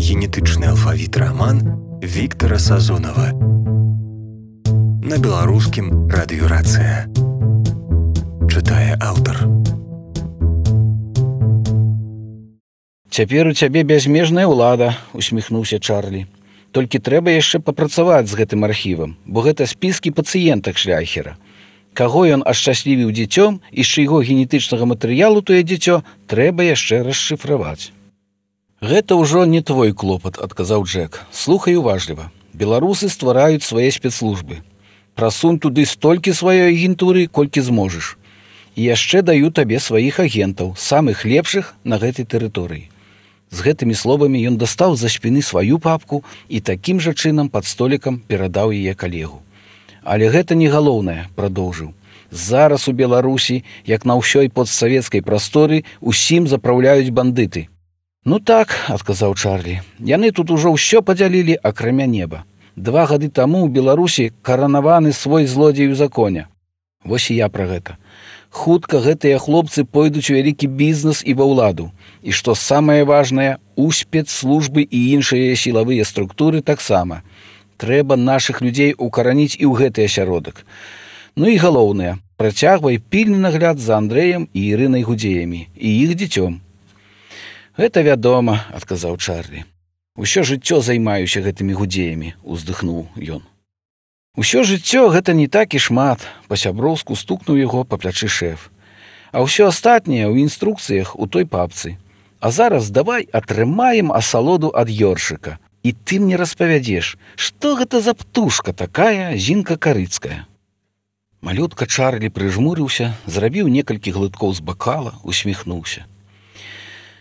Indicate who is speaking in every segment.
Speaker 1: генетычны алфавіт раман Віктара Сазонава. На беларускім радыёрацыя. Чытае аўтар.
Speaker 2: «Цяпер у цябе бязмежная ўлада», — усміхнуўся Чарлі. «Толькі трэба яшчэ папрацаваць з гэтым архівам, бо гэта спіскі пацыентак Шляхера. Каго ён ашчаслівіў дзіцём і з чыйго генетычнага матэрыялу тое дзіцё трэба яшчэ расшыфраваць». «Гэта ўжо не твой клопат», — адказаў Джек. «Слухай уважліва. Беларусы ствараюць свае спецслужбы. Прасунь туды столькі сваёй агентуры, колькі зможаш. І яшчэ даю табе сваіх агентаў, самых лепшых на гэтай тэрыторыі». З гэтымі словамі ён дастаў з-за спіны сваю папку і такім жа чынам пад столікам перадаў яе калегу. «Але гэта не галоўнае», — прадоўжыў. «Зараз у Беларусі, як на ўсёй постсавецкай прасторы, усім запраўляюць бандыты». «Ну так», — адказаў Чарлі, — «яны тут ужо ўсё падзялілі, акрамя неба. 2 гады таму ў Беларусі каранаваны свой злодзей у законе. Вось і я пра гэта. Хутка гэтыя хлопцы пойдуць у вялікі бізнес і ва ўладу. І што самае важнае, у спецслужбы і іншыя сілавыя структуры таксама. Трэба нашых людзей укараніць і ў гэты асяродак. Ну і галоўнае, працягвай пільны нагляд за Андрэем і Ірынай Гудзеямі і іх дзіцём». «Гэта вядома», — адказаў Чарлі. «Усё жыццё займаюся гэтымі гудзеямі», — уздыхнуў ён. «Усё жыццё гэта не так і шмат», — па-сяброўску стукнуў яго па плячы шэф. «А ўсё астатняе ў інструкцыях у той папцы. А зараз давай атрымаем асалоду ад ёршыка. І ты мне распавядзеш, што гэта за птушка такая Зінка Карыцкая». Малютка Чарлі прыжмурыўся, зрабіў некалькі глыткоў з бакала, усміхнуўся.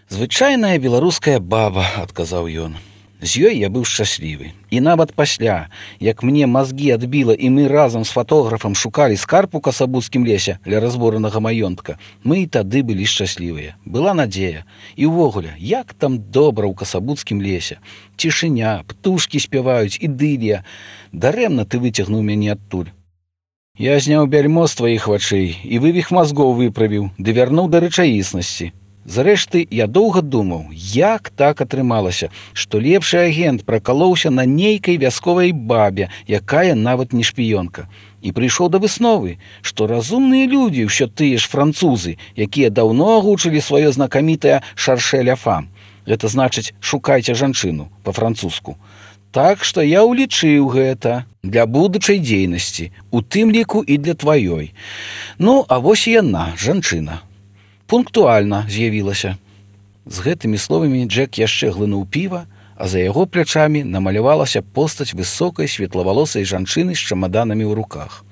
Speaker 2: «Звычайная беларуская баба», — адказаў ён. «З ёй я быў шчаслівы. І нават пасля, як мне мазгі адбіла і мы разам з фатографам шукалі скарб у касабуцкім лесе ля разбуранага маёнтка, мы і тады былі шчаслівыя. Была надзея. І ўвогуле, як там добра ў касабуцкім лесе. Цішыня, птушкі спяваюць, ідылія. Дарэмна ты выцягнуў мяне адтуль. Я зняў бяльмо з тваіх вачэй і вывіх мазгоў выправіў, ды вярнуў да рэчаіснасці. Зрэшты, я доўга думаў, як так атрымалася, што лепшы агент пракалоўся на нейкай вясковай бабе, якая нават не шпіёнка. І прыйшоў да высновы, што разумныя людзі, ўсё тыя ж французы, якія даўно агучылі сваё знакамітае «шаршэ ля фам». Гэта значыць «шукайце жанчыну» па-французску. Так што я ўлічыў гэта для будучай дзейнасці, у тым ліку і для тваёй. Ну, а вось і яна, жанчына. Пунктуальна з'явілася». З гэтымі словамі Джек яшчэ глынуў піва, а за яго плячамі намалявалася постаць высокай светлавалосай жанчыны з чамаданамі ў руках.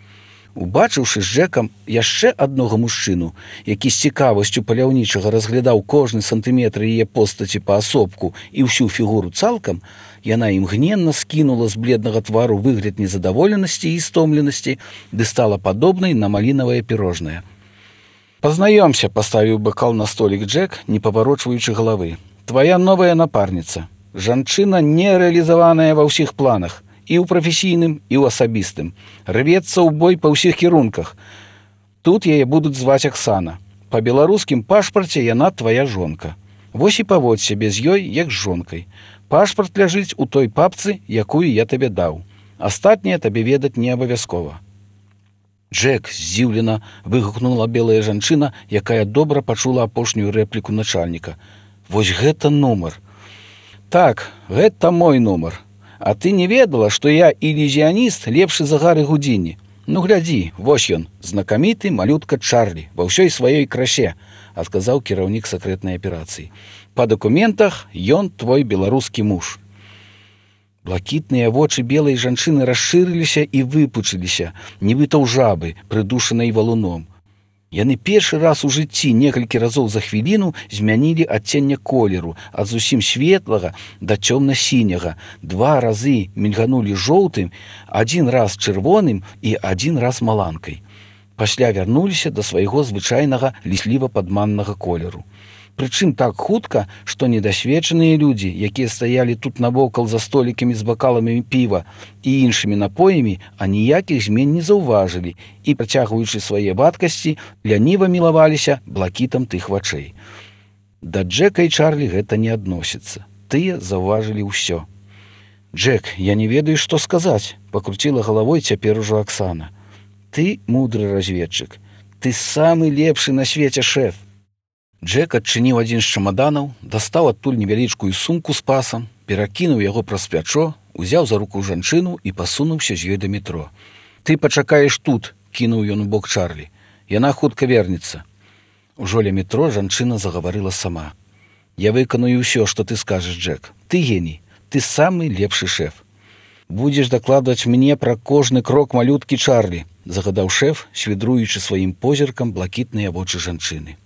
Speaker 2: Убачыўшы з Джекам яшчэ аднога мужчыну, які з цікавасцю паляўнічага разглядаў кожны сантыметр яе постаці паасобку і ўсю фігуру цалкам, яна імгненна скінула з бледнага твару выгляд незадаволенасці і стомленасці ды стала падобнай на малінавае пірожнае. «Пазнаёмся», — паставіў бакал на столік Джек, не паварочваючы галавы. «Твая новая напарніца. Жанчына нерэалізаваная ва ўсіх планах, і ў прафесійным, і ў асабістым. Рвецца ў бой па ўсіх кірунках. Тут яе будуць зваць Аксана. Па беларускім пашпарце яна твая жонка. Вось і паводзь сябе з ёй, як з жонкай. Пашпарт ляжыць у той папцы, якую я табе даў. Астатняе табе ведаць не абавязкова». «Джек», — здзіўлена выгукнула белая жанчына, якая добра пачула апошнюю рэпліку начальніка. «Вось гэта нумар». «Так, гэта мой нумар. А ты не ведала, што я ілюзіяніст лепшы за Гары Гудзіні? Ну, глядзі, вось ён, знакаміты малютка Чарлі, ва ўсёй сваёй красе», — адказаў кіраўнік сакрэтнай аперацыі. «Па дакументах ён твой беларускі муж». Блакітныя вочы белай жанчыны расшырыліся і выпучыліся, нібыта ў жабы, прыдушанай валуном. Яны першы раз у жыцці некалькі разоў за хвіліну змянілі адценне колеру ад зусім светлага да цёмна-сіняга, 2 разы мільганулі жоўтым, 1 раз чырвоным і 1 раз маланкай. Пасля вярнуліся да свайго звычайнага лісліва-падманнага колеру. Прычым так хутка, што недасведчаныя людзі, якія стаялі тут навокал за столікамі з бакаламі піва і іншымі напоямі, аніякіх змен не заўважылі і, працягваючы свае вадкасці, ляніва мілаваліся блакітам тых вачэй. Да Джека і Чарлі гэта не адносіцца. тыя заўважылі ўсё. «Джек, я не ведаю, што сказаць», — пакруціла галавой цяпер ужо Аксана. «Ты мудры разведчык. Ты самы лепшы на свеце шэф». Джек адчыніў адзін з чамаданаў, дастаў адтуль невялічкую сумку з пасам, перакінуў яго праз плячо, узяў за руку жанчыну і пасунуўся з ёй да метро. «Ты пачакаеш тут», — кінуў ён у бок Чарлі. «Яна хутка вернецца». Ужо ля метро жанчына загаварыла сама. «Я выканую ўсё, што ты скажаш, Джек. Ты геній. Ты самы лепшы шэф. Будзеш дакладваць мне пра кожны крок малюткі Чарлі», — загадаў шэф, свідруючы сваім позіркам блакітныя вочы жанчыны.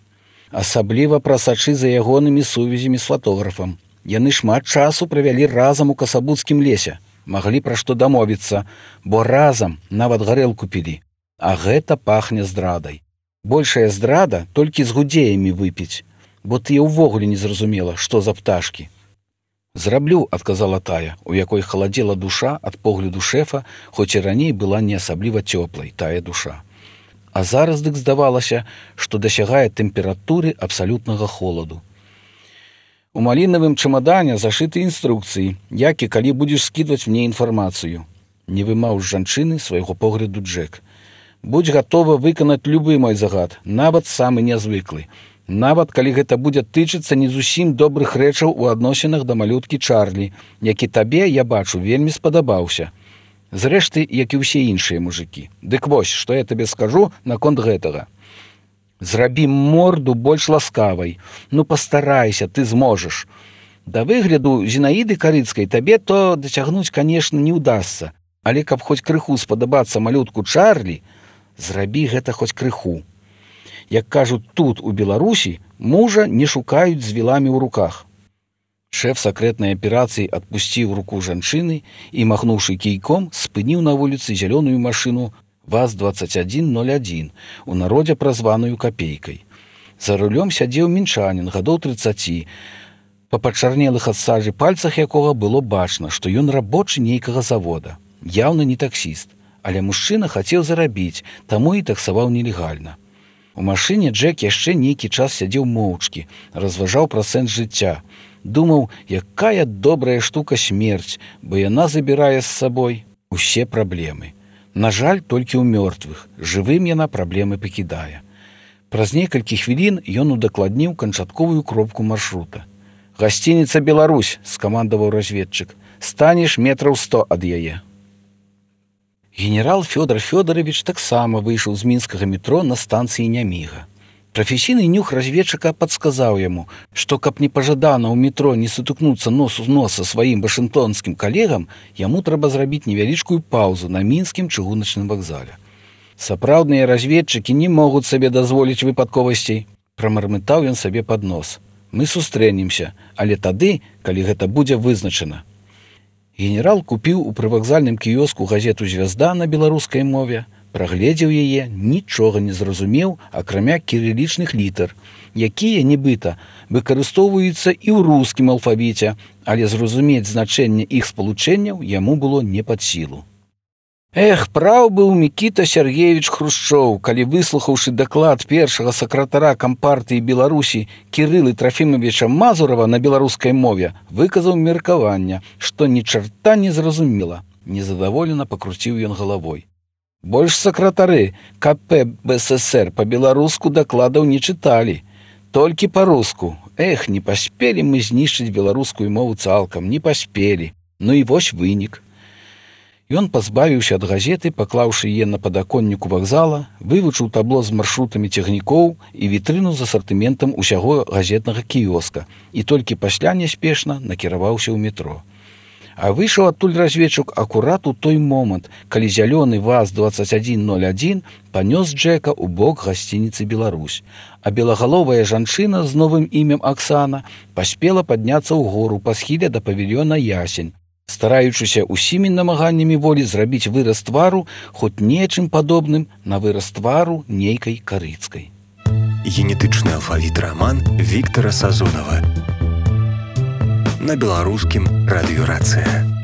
Speaker 2: «Асабліва пра сачы за ягонымі сувязямі з фатографам. Яны шмат часу правялі разам у касабуцкім лесе, маглі пра што дамовіцца, бо разам нават гарэлку пілі. А гэта пахне здрадай. Большая здрада толькі з гудзеямі выпіць, бо ты ўвогуле не зразумела, што за пташкі». «Зраблю», — адказала тая, у якой халадзела душа ад погляду шэфа, хоць і раней была не асабліва цёплай тая душа. А зараз дык здавалася, што дасягае тэмпературы абсалютнага холаду. У малінавым чамадане зашыты інструкцыі, як і калі будзеш скідваць мне інфармацыю. Не вымаў з жанчыны свайго погляду Джек. «Будзь гатова выканаць любы мой загад, нават самы нязвыклы. Нават калі гэта будзе тычыцца не зусім добрых рэчаў у адносінах да малюткі Чарлі, які табе, я бачу, вельмі спадабаўся. Зрэшты, як і ўсе іншыя мужыкі. Дык вось, што я табе скажу наконт гэтага. Зрабі морду больш ласкавай. Ну, пастарайся, ты зможаш. Да выгляду Зінаіды Карыцкай табе то дацягнуць, канешне, не ўдасца, але каб хоць крыху спадабацца малютку Чарлі, зрабі гэта хоць крыху. Як кажуць тут, у Беларусі, мужа не шукаюць з віламі ў руках». Шэф сакрэтнай аперацыі адпусціў руку жанчыны і, махнуўшы кійком, спыніў на вуліцы зялёную машыну ВАЗ-2101, у народзе празваную капейкай. За рулём сядзеў мінчанін гадоў 30, па пачарнелых ад сажы пальцах якога было бачна, што ён рабочы нейкага завода. Яўна не таксіст, але мужчына хацеў зарабіць, таму і таксаваў нелегальна. У машыне Джек яшчэ нейкі час сядзеў моўчкі, разважаў пра сэнс жыцця. Думаў, якая добрая штука смерць, бо яна забірае з сабой усе праблемы. На жаль, толькі ў мёртвых, жывым яна праблемы пакідае. Праз некалькі хвілін ён удакладніў канчатковую кропку маршрута. «Гасцініца «Беларусь», — скамандаваў разведчык. «Станеш метраў 100 ад яе». Генерал Фёдор Фёдорович таксама выйшаў з мінскага метро на станцыі Няміга. Прафесійны нюх разведчыка падсказаў яму, што каб непажадана ў метро не сутыкнуцца нос у нос са сваім вашынгтонскім калегам, яму трэба зрабіць невялічкую паўзу на мінскім чыгуначным вакзале. «Сапраўдныя разведчыкі не могуць сабе дазволіць выпадковасцей», — прамармытаў ён сабе пад нос. «Мы сустрэнемся, але тады, калі гэта будзе вызначана». Генерал купіў у прывакзальным кіёску газету «Звязда» на беларускай мове, прагледзеў яе, нічога не зразумеў, акрамя кірылічных літар, якія, нібыта, выкарыстоўваюцца і ў рускім алфавіце, але зразумець значэнне іх спалучэнняў яму было не пад сілу. Эх, праў быў Мікіта Сергеевич Хрушчоў, калі, выслухаўшы даклад першага сакратара Кампартыі Беларусі Кірылы Трафімавіча Мазурава на беларускай мове, выказаў меркаванне, што ні чарта не зразумела. Незадаволена пакруціў ён галавой. Больш сакратары КП БССР па-беларуску дакладаў не чыталі, толькі па-руску. Эх, не паспелі мы знішчыць беларускую мову цалкам, не паспелі. Ну і вось вынік. Ён пазбавіўся ад газеты, паклаўшы яе на падаконніку вакзала, вывучыў табло з маршрутамі цягнікоў і вітрыну з асартыментам усяго газетнага кіёска і толькі пасля няспешна накіраваўся ў метро. А выйшаў адтуль разведчык акурат у той момант, калі зялёны ВАЗ-2101 панёс Джека ў бок гасцініцы «Беларусь», а белагаловая жанчына з новым імем Аксана паспела падняцца ў гору па схіле да павільёна «Ясень», стараючыся усімі намаганнямі волі зрабіць выраз твару хоць нечым падобным на выраз твару нейкай Карыцкай.
Speaker 1: Генетычны алфавіт раман Віктара Сазонава. На беларускім радыёрацыя.